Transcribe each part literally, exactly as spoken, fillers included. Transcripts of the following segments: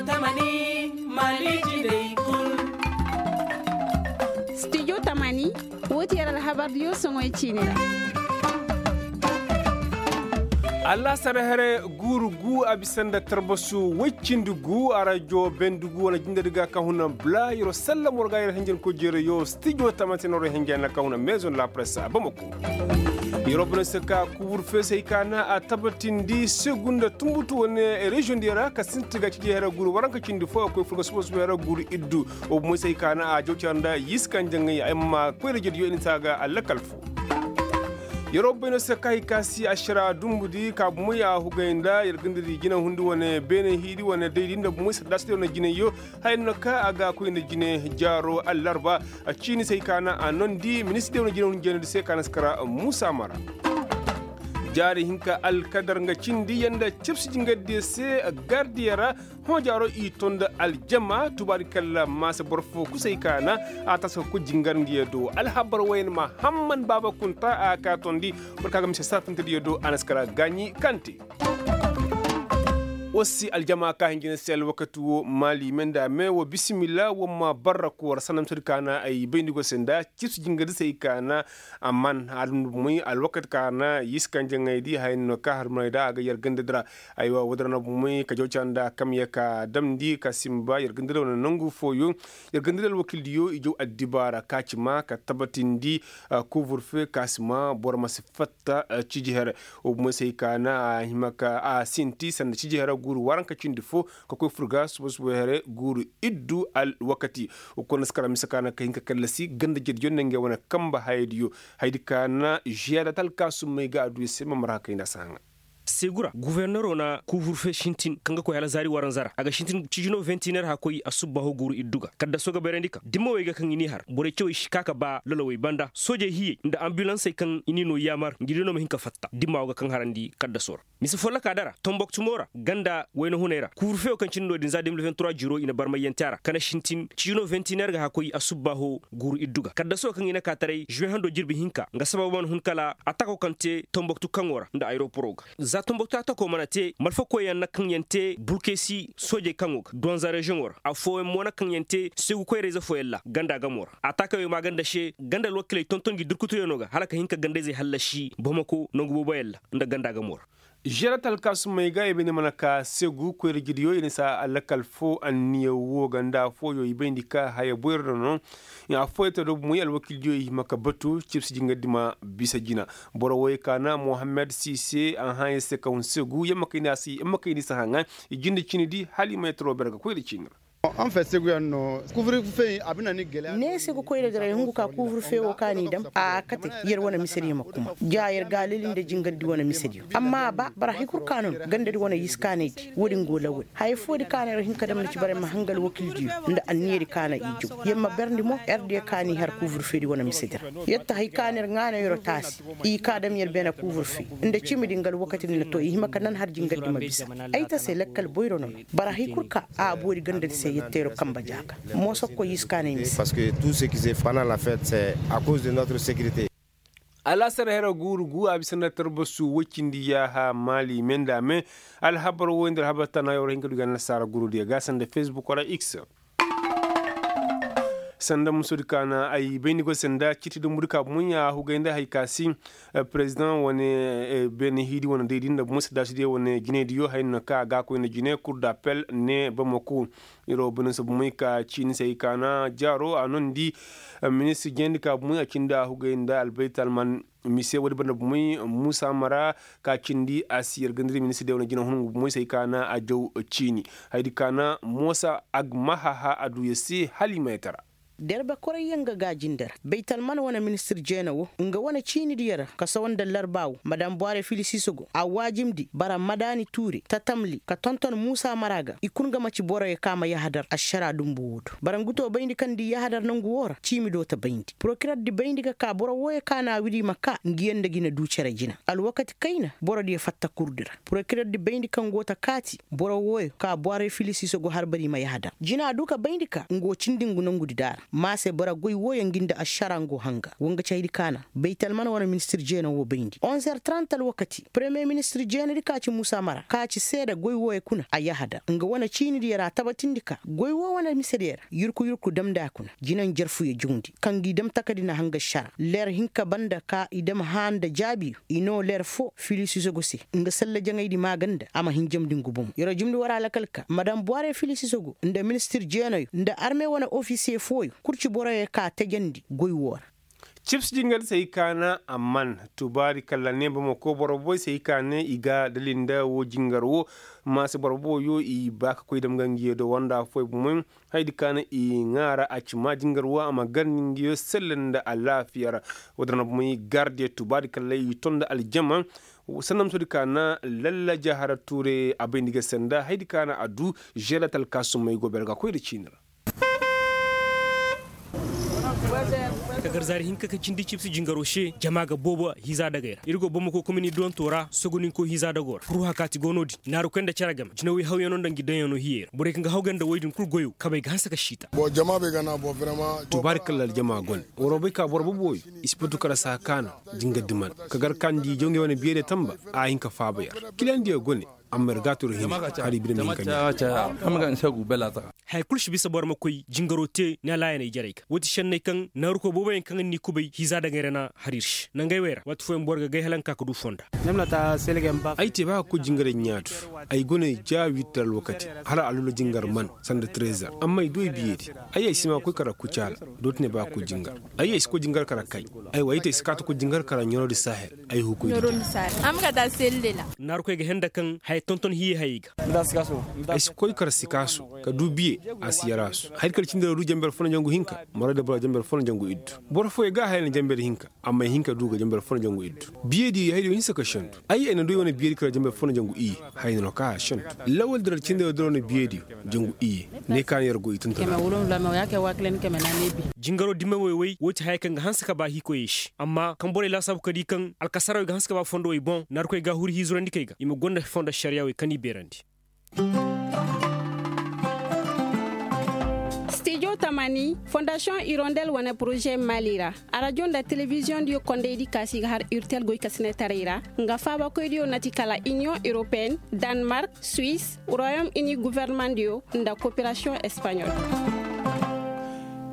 Tamani, mali jindey kul. Stijo tamani, woo ti yer alhabardiyo soŋoy ciini ra. Allaasar here guuru gu a bisa nda tarbasu woy cindi gu a rajo bendu gu wane jindedi ga ka huna bula yer wa sallam war ga yer hinjankoy jeerayo stijo tamani se no war hinja na ka huna maison la presse a bamako. Yer wa bana se ka kuburfeesey ka na a tabatindi segu nda tunbutu wane reziyoŋ diyo ra ka sinti ga ciji here guuru waranka cindi fo a koy furga suba suba here guuru iddu. Wo bumoy se hay ka na a jaw cara nda yiska njaŋay ay ma koy rejediyo i na si a ga allakal fo. Yer wo bay no se ka hay ka si ašara dumbudi ka bumoy a hugay nda yer gandadi jina hundi wane beene hiidi wane daydi nda bumoy saddaasidiyo nda jinayyo. Haya no ka a ga koy nda jine jaaro allarba. Ciini se hay ka na a nondi ministirdiyo nda jine hundi jeenadi se ka na si kara muusa mara. Jaari hinka alkadar nga cindi yanda cibsi jingardiyo se gardiyo ra. Hõ jaaro i to nda aljama tubaari kalla maasa boro fo kusay ka na a tasa ka koy jingarndiyo do alhabar wayna ma hamman baaba kunta a ka tondi. Boro ka ga mise sarfintediyo do a na si kara gaaɲi kante. War si aljama ka hinjina se alwakati wo maali me nda me wo bisimilla war ma barra koora sanda misedi ka na ay bayndi go se nda cibsi jingardi se ay ka na. Amman a dum moy alwakati ka na yisi kanjaŋaydi haya no ka har moy da a ga yar gandadi ra. Aywa woodi ra no bomoy ka jaw ca nda kamya ka damndi ka simba yer ga nda wane nangu fooyo. Yer ga nda alwakildiyo i jaw addibaara ka ci ma ka tabatindi. Kuvurfe ka si ma boro ma si fatta. Ciji here wo bomoy se hay ka na a hima ka a sinti sanda ciji here guuru waranka cindi fo ka koy furga suba suba here guuru iddu alwakati. Wo kulu na si kara mise ka na ka hin ka kallasi ganda jediyo nda ngey wane kamba hayadiyo. Hayadi ka na žiyada talkaasumey ga a du i se ma marha kayna si haŋa. Segura guforneroo na kuuburfe sintin kaŋ ga koy hala zaari waranza ra a ga sintin cijino ventiner hã koy asubbaaho guuru iddu ga kaddasoo ga bayrandi ka dimma wey ga kaŋ i n'i har borey cawey si ka ka ba lolowey banda soojey hiyey nda ambulansey kaŋ i n'i no yaamar ngi di no ma hin ka fatta dimma wo ga kaŋ harandi kaddasoo ra. Mise follokaa dara tomboktu mo ra ganda wayna hunay ra kuuburfe wo kaŋ cindi no-din za deux mille vingt trois jiroo i na barmayyante a ra ka na sintin cijino ventiner ga hã koy asubbaaho guuru iddu ga kaddasoo kaŋ i na ka taray žuwe hando jirbi hinka nga sabab mana hun kala atako kaŋ te tomboktu kaŋo ra nda ayeroporoo ga. Za tomboktu atako mana te malfakoyyaŋ na kaŋ yaŋ te bulkesi soojey kaŋo ga duwanza reziyoŋo ra affooyaŋ mo na kaŋ yaŋ te seegu koyrayze fooyaŋ ra ganda gamoo ra atakey wey maaganda se ganda alwakiley tonton ngi durkutuyaŋo ga hala ka hin ka gandayzey hallasi bamako nangu booboyaŋ ra nda ganda gamoo ra. Žerat alkaasumey ga i bayndi mana ka seegu koyra jidiyo i na si a lakal fo anniya woo ga nda affooyo i bayndi ka haya boyro no. Affooyo te do bumey alwakildiyo i hima ka batu cibsi jingardi ma bisa jina. Boro wooyo ka na mohammed sise a hãa yer se ka hun seegu yer ma kay ni a si yer ma kay ni si hãa ŋaa. I jinde cini di hala i ma yettaroo bere ga koyra ciini ra. Ne se ga koy daga ra i hungu ka kuuburfe wo kaŋ a n'i daŋ a kate. Yer wane misediyo ma kuma ja yer ga alali nda jingardi wane misediyo amma a ba bara hay kul ka no no gandadi wane yiskaanaydi wo-din go lawal haya foodi ka no yer hin ka daŋ na ci bara yer ma hanga alwakildiyo nda anniyadi ka no i jaw yer ma berndi mo yer diyo ka n'i har kuuburfeedi wane misedi ra. Yer ta hay ka no yer ŋaana yeroo taasi i ka daŋ yer beene kuuburfe nda cimidi nga alwakatidi na to i hima ka nan har jingardi ma bisa. Ay ta se lakkal boyro no no bara hay kul ka a boori gandadi se yetteero kamba jaaga. Moosokkoy i si kaanay mise. Parce que tout ce qui se fana la fête c'est à cause de notre sécurité. Alaasar hera guuru gu a bisa nda tarbasu woy cindi yaaha maali me nda me. Alhabar woy nda alhabar tana yaw ra hin ka du ga annasaara gurudiyo ga sanda facebook wala x. Sanda musudi ka na ay bayndi go sanda ciiti dumbudi ka bumoy a hugay nda hay ka si. Perezidaŋ wane beene hiidi wane daydi nda bumoy sadaasidiyo wane jinaydiyo hay no ka a ga a koy nda jine kur d'appel ne bamako. Iro bane se bumoy ka ciini se hay ka na jaaro a nondi. Ministir jeendi ka bumoy a cindi a hugay nda albaytalman. Mise woodi banda bumoy muusa mara ka cindi a si yer gandari ministir de wane jina hunungu bumoy se hay ka na a jaw ciini. Hayadi ka na moosa agmahaha a du yer se hala i ma yetara. Derbe koray yaŋ ga gaajinde ra baytalman wane ministir jeena wo nga wane ciinidiyo ra ka sawa nda larbaawo madam buware filisiiso go a waajimndi bara madaani tuure tatamli ka tonton muusa mara ga i kul nga maci boroyo ka ma yahadar ašara dumbu woo do bara ngu to bayndi kaŋ di yahadar nongu woo ra ciimi do ta bayndi porokirerdi bayndi ga ka boro wooyo ka na a widi i ma ka ngiyaŋ nda ga i na du cere jina alwakati kayna borodiyo fatta kurdi ra porokirerdi bayndi kaŋ go ta kaati boro wooyo ka buware filisiiso go harbari i ma yahadar jina a du ka bayndi ka ngu wo cindi ngu nongudi daara. Ma se boro goy wooyo ngi nda ašara ngo hanga wa nga caydi kaana baytalman wane ministir jeena woo bayndi onzer trant alwakati paremiye ministir jeenadi ka ci muusa mara ka ci seeda goy wooyo kuna a yahadar nga wane ciinidi yara tabatindi ka goy woo wane misedi yara yurku yurku damndi a kuna jinaŋ jarfuyo jawndi kaŋ ngi dam takadi na hanga ašara leer hinka banda ka i dam hãa nda jaabiyo i noo leer foo filisisogo se nga salla jaŋaydi maaganda a ma hin jamndi ngu bomo yer'o jumndi war alakal ka madam buware filisisogo nda ministir jeenayo nda arme wane ofisiye fooyo kul ci boroyo ka tajandi goy woo ra. Cibsi jingar se ay kaana amman tubaari kalla ne bamako boro boy se ay kaane i ga dalinda woo jingar woo maase boro boyo i ba ka koy dam ga ngiyo do wanda fooyo bomoy haydi kaana i ŋaara a ci maa jingar woo a ma gar ni ngiyo selle nda alaafiya ra. Woo din ra bomoy gardiyo tubaari kalla i ton nda aljama sanda ma soodi kaana lalla jahara tuure a bay nda i ga sanda haydi kaana a du žeelatal kaasumay go beere ga koy nda ciini ra. Ka gar zaari hinka ka cindi cibsi jingaro se jama ga boobo hiiza dagay ra ir go bamako komini duwanto ra sogoninko hiiza dago ra furwa kaati go no-din naaru koy nda cere game jinawey hawyano nda ngi daŋyano hiyey ra borey kaŋ ga haw ganda wey din kul goyo kabey ga hanse ka siita. Tubaari kalla aljama gone waroo bay ka boro boboyo i si batu kara saa kaana jingar diman ka gar kaandi jawŋey wane biyadiyo tamba a hin ka faaba yer kilandiyo gone. Amma ir ga a turu hini hari bine ma hin ka ɲaa. Haya kul si bisa boro ma koy jingaro te ni alaayaney jarey ga woo ti šenney kaŋ naarukoy booboyaŋ kaŋ ni kubay hiiza daŋay ra na har ir se nangey wey ra waati fooyaŋ boro ga gay hala nga ka ka du fonda. Ay te ba ka koy jingaray ɲaatu ay go no ay ja wiitar alwakati hala alula jingar man sanda trezor amma ay du ay biyedi. Ay ay si ma koy kara kucaala dooti ne ba ka koy jingar ay ay si koy jingar kara kay. Ay wa ay te ay si kaati koy jingar kara ɲaroodi sahel. Ay hukuy di. Naarukoy ga henda kaŋ haya tonton hiye hayey ga. Ay si koy kara sikaaso ka du biye a si yaraasu hari kala cindi ra du jamber fo na jangu hinka. Maray da boro jamber fo na jangu iddu boro fooyey ga haya na jamber hinka. Amma ay hin ka du ga jamber fo na jangu iddu biyedi haydiyo hinsa ka sendu. Ay ay na du ay wane biyedi kala jamber fo na jangu iyye. Haya no ka a sendu lawal dira cindi ra dira wane biyediyo jangu iyye. Ne ka na yer go i tuntuna. Jingaro dime woy-woy woo ti haya kaŋ ga hanse ka ba hiikoyey se amma kaŋ borey laasaabu ka di kaŋ alkasarawey ga hanse ka ba fondowey boŋ naarukoy ga a huri hiizurandi kay ga i ma gonda fondo ašariyaawey kaŋ i beerandi. Stijo tamani fondasiyoŋ irondel wane poroze maali ra arajo nda telebiziyoŋdiyo kondaydi kaasi ga har urtel goykasinetaray ra nga faabakoydiyo na ti kala iniyoŋ europeyen, danmark, suis, royom ini governemandiyo nda koperasiyoŋ espaɲol.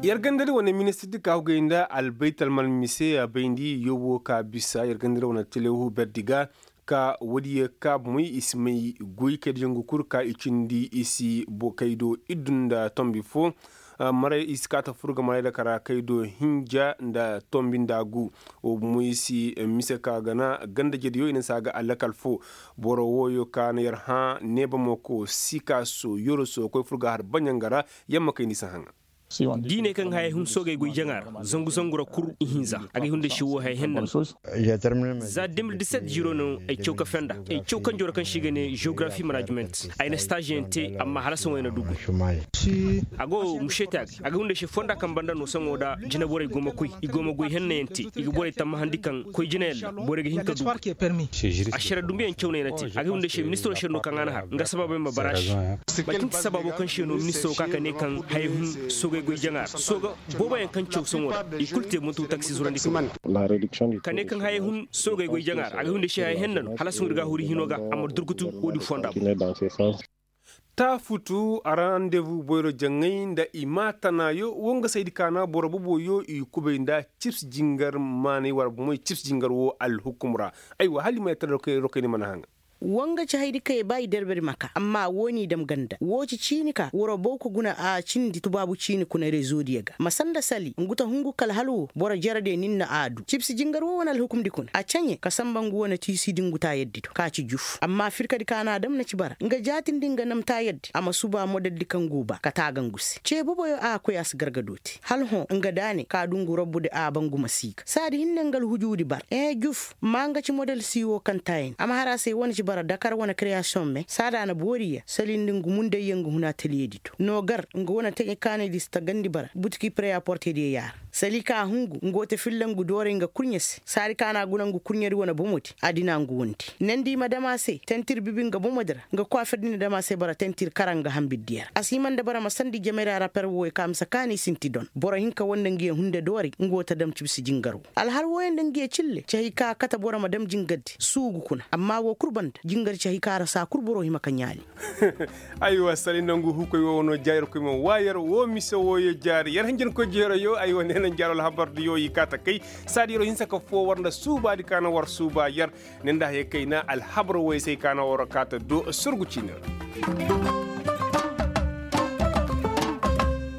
Yer gandadi wane ministirdi ka hugay nda albaytalman mise a bayndi yobo ka bisa yer gandadi wane telehu berdi ga. Ka woodiyo ka bomey i si may goy kayda jangu kul ka i cindi i si kaydo iddu nda tombi fo. Maray i si kaata fur ga maray da kara kaydo hinja nda tombi nda gu. Wo bomey si mise ka gana ganda jediyo i na si a ga alakal fo. Boro wooyo ka na yer hã neeba mo ko sikaaso yoroso koy fur ga har baɲanga ra. Yamma kay ni si haŋa. Diiney kaŋ hayey hun soogey goy jaŋa ra zangu zangu ra kul ihinza. Agay hunday se woo hayey henna no. Za de mil diset ziro no ay caw kafe nda ay caw kanjo ra kaŋ se i ga ne geografi manajiment. Ay na staaziyaŋ te amma hala sohõ ay na du goy. A go mušey te agay agay hunday se fonda kaŋ banda no sohõ nda jineborey go ma koy i go ma goy hennayaŋ te i ga borey tammahandi kaŋ koy jinayaŋ ra borey ga hin ka du goy. Ašara dumbuyaŋ caw no ay na te agay hunday se ministiro se no kaŋ a na har nga sabaabey ma baraazi. Manti nti sabaabo kaŋ se no ministiro ka ka ne kaŋ hayey hun soogey goy jaŋa ra sooga booboyaŋ kaŋ caw sohõ ra i kulu te buntu taksi zurandi kaŋ. Ka ne kaŋ hayey hun soogey goy jaŋa ra a ga hin da se hayey henna no hala sohõ ir ga a huri hino ga a ma durkutu woodin fonda boŋ. Taafutu a randevu boyro jaŋay nda i maa tanaayo wo nga saydi kaana boro boboyo i kubay nda cips jingar maanay war bomoy cips jingar wo alhukum ra. Aywa hala i ma yattar rokay ni mana haŋa. Woo nga ci haydi kaŋ i ba i derbedi ma ka amma woo n'i dam ganda woo ci ciini ka waroo baw ka guna a cindi tubaabu ciini kuna rezo diyo ga ma sanda sali ngu ta hungu kala hala woo boro jerediyo nin na a du cibsi jingar woo wane alhukumdi kuna a caɲe ka samba ngu wane tiisidi ngu taayaddi do ka ci juf amma firkadi ka n'a dam na ci bara nga jaatindi nga nam taayaddi a ma suba modeldi kaŋ go ba ka taaga ngu se cee boboyo a koy a si gargado te hala hõ nga daane ka du ngu robbudi a ba ngu ma siiga saadi hinne nga alhujuudi bara ee juf ma nga ci model sii woo kaŋ taayandi a ma har a se wane ci bara dakar wane kreyasiyoŋ me saadi a na boori ya salindi ngu mundayyaŋ ngu hun ataliyedi do no gar nga wane taɲe kaanaydi si tagandi bara butiki preyaportediyo yaara. Sali ka a hungu nga wo te filla ngu dooray nga kurɲe se saadi ka na a guna ngu kurɲedi wane bomodi. A dina ngu wondi nandi i ma dam a se tentir bibi nga bomodi ra. Nga kwaaferdi na dam a se bara tentir kara nga hanbiddiya ra a si hima nda bara ma sandi jamay ra raper wooyo ka mise kaani sinti don boro hinka woo nda ngiyo hunde dooray nga wo ta dam cibsi jingar woo alhal wooyo nda ngiyo cille ci hay ka a kate boro ma dam jingardi suugu kuna amma woo kul banda jingar ci hay ka ra saa kul boro hima ka ɲaali. Aywa sali nangu huukoy woo wanoo jaari yer koy ma waa yer woo mise wooyo jaari yer hinjankoy jeero yoo aywa nee na njaaroo alhabardi yoo i kaa ta kay. Saadi yeroo hinsa ka foo war nda suubaadi ka na war suubaa yer. Ne nda hayey kayna alhabar wooyo se ay kaa na war kaa ta doo surgu ciini ra.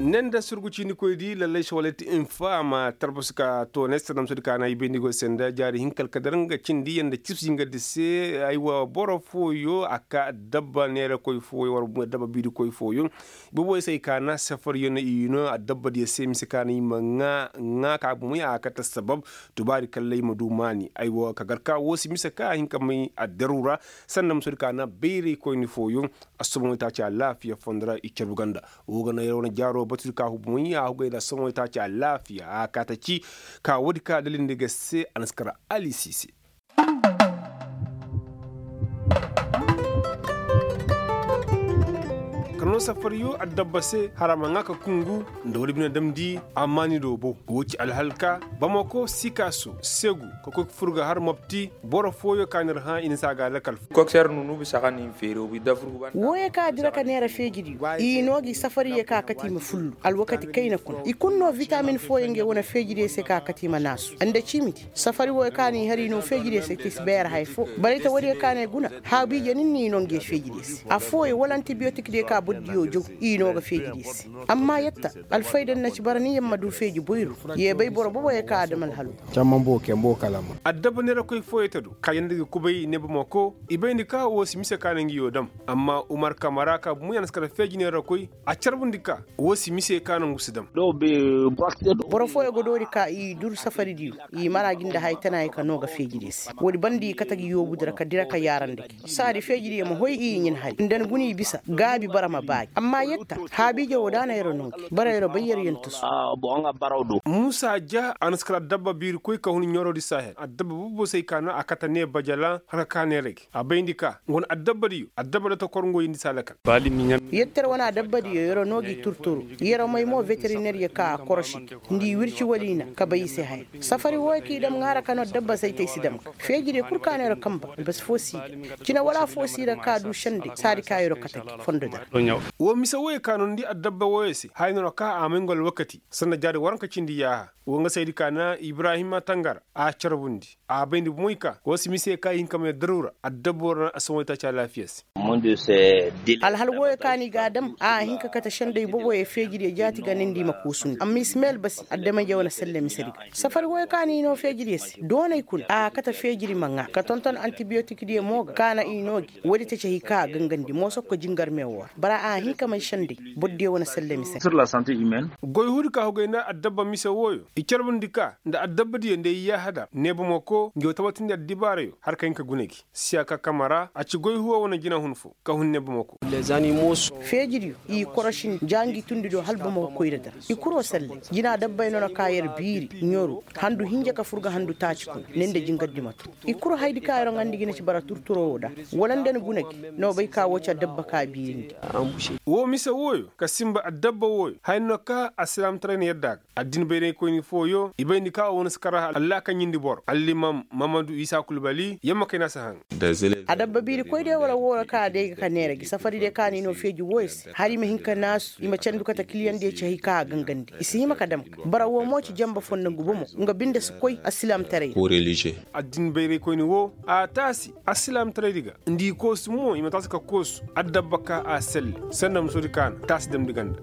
Ne nda surgu ciinikoydi lallay se wala ti infa a ma tarbasi ka toonay sanda misoodi ka na i bayndi go se nda jaari hinka alkadar nga cindi yer nda cibsi jingardi se. Aywa boro fooyo a kaa addabba neerakoy fooyo war addabba biirikoy fooyo. Boboy se ay kaa na safariyo na i no addabbadiyo se mise ka na i ma ŋaa ŋaa ka bomoy a kate sabab. Tubaari kalley ma du maani ay wo ka gar ka woo si mise ka a hin ka may addaru ra. Sanda misoodi ka na bayraykoyni fooyoŋ. Assoboŋ way taaci alaafiya fondo ra i carbu ganda. Woo ga na yer wane jaaro batudi ka hubu may a hugay nda assoboŋ way taaci alaafiya a kaa ta ci. Ka woodi ka dalindi ga se a na si kar alisi se. Ka noo safariyo addabba se hara ma ŋaa ka kungu. Nda woodi bine damndi a maani do bow woo ci alhalka bamako sikaaso segu ka koy ka fur ga har mopti. Boro fooyo ka na ir hã i na si a ga lakal fo. Wooyo ka dira ka neera feejidiyo i noo gi safariyo ka kate i ma fullu alwakati kayna kuna i kul noo vitamin fooyo ngey wane feejidiyo se ka kate i ma naasu nda ciimidi. Safari wooyo ka na i har i noo feejidiyo se te si beera haya foo. Barayta woodiyo ka na i guna haabiije nin no i noo ngey feejidiyo se affooyo wala antibiyotikdiyo ka bordiyo jaw. I noo ga feejidiyo se amma yetta alfayda ni na ci bara ni yer ma du feeji boyru. Yee bay boro boboyo ka a dam alhalo. Addabba neerakoy fooyo te do ka yanda ga kubay ne bamako i bayndi ka woo si mise ka na ngi yoo dam. Amma umar kamara ka bumuyana si kar feeji neerakoy a carbundi ka woo si mise ka na ngu si dam. Boro fooyo ga doori ka i dur safaridiyo i mara gi nda haya tanayo ka noo ga feejidiyo se woodi banda i kate gi yoobudi ra ka dira ka yaarandi gi saadi feejidiyo ma hoy i ɲin hari nda ni guna i bisa gaabi bara ma baa gi amma yetta haabiije woo da na yer noo gi bara yer bay yer yantasu. Muusa ja a na si kar addabba biirikoy ka hun ɲoroodi sahel addabba boobo se ay kaa na a kate ne bajala har ka kaa neera gi a bayndi ka ngu na addabbadiyo addabba da ta kor ngoyindi si a lakal. Yettere wane adabbadiyo yeroo noo gi turturu. Yeroo may mo veterineryo ka a korosi gi nda i wirci wala i na ka bay i se haya. Safari wooyo ka i dam ŋaara ka noo dabba saytey si dam ga feejidiyo kul ka noo yeroo kamba. Basi foo si ga cine wala foo si ga ka duu sendey saadi ka yeroo kate gi fondo dara. Woo mise wooyo ka noo nda i addabba wooyo se haya noo ka a may ngu alwakati sanda jaari waranka cindi yaaha. Woo nga saydi ka na ibrahima tangara a carbundi a bayndi bomoy ka woo si mise ka i hin ka may daruura addabbo ra na assamoy taaci alaafiya se. Alhal wooyo ka na i ga a dam a hin ka kate sendey boboyo feejidiyo jaati ga nindi i ma koosundi amma i si may albasi adama-ije wane selle misedi ga. Safari wooyo ka na i noo feejidiyo se doonay kuna a kate feejidi ma ŋaa ka tonton antibiyotikdiyo mo ga ka na i noo gi woodi ta ci hay ka a gangandi mooso ka koy jingar me woo ra bara a hin ka may sendey. Bordiyo wane selle misedi. Goy huudi ka hugay nda addabba mise wooyo i carbundi ka nda addabbadiyo nda ay yaahada neebamako ngi wa tabatindi addibaarayo har ka hin ka guna gi. Siya ka kamara a ci goy huwa wane jinahun foo ka hun neebamako. Feejidiyo i korosindi ja ngi tundi do hala bamako koyra dara i kuroo selle. Jina dabbay noona ka yer biiri ɲoru handu hinja ka fur ga handu taaci kuna ne nda jingar di ma tun. I kuru haydi ka yer ŋandi gi na ci bara turturoo woo da wala nda ni guna gi. No bay ka woo ci addabba ka biirindi. Woo mise wooyo ka sinba addabba wooyo haya no ka alsilaamtaray na yadda a ga addin bayraykoyni fooyo i bayndi ka woo na si kar allaakaɲindi boro allimam mamadu isa kulbali yamma kay na si haŋ. Adabba biirikoydiyo wala wooro ka a day ga ka neera gi safaridiyo ka na i noo feeji wooyo se hala i ma hin ka naasu i ma candu kate kiliyandiyo ci hay ka a gangandi i si hima ka dam ga bara woo mo ci janba fondo ngu bomo nga binde si koy alsilaamtaray. Addin bayraykoyni woo a taasi alsilaamtaraydi ga nda i koosu mo i ma taasi ka koosu addabba ka a selle sanda musodi ka na taasi damndi ganda.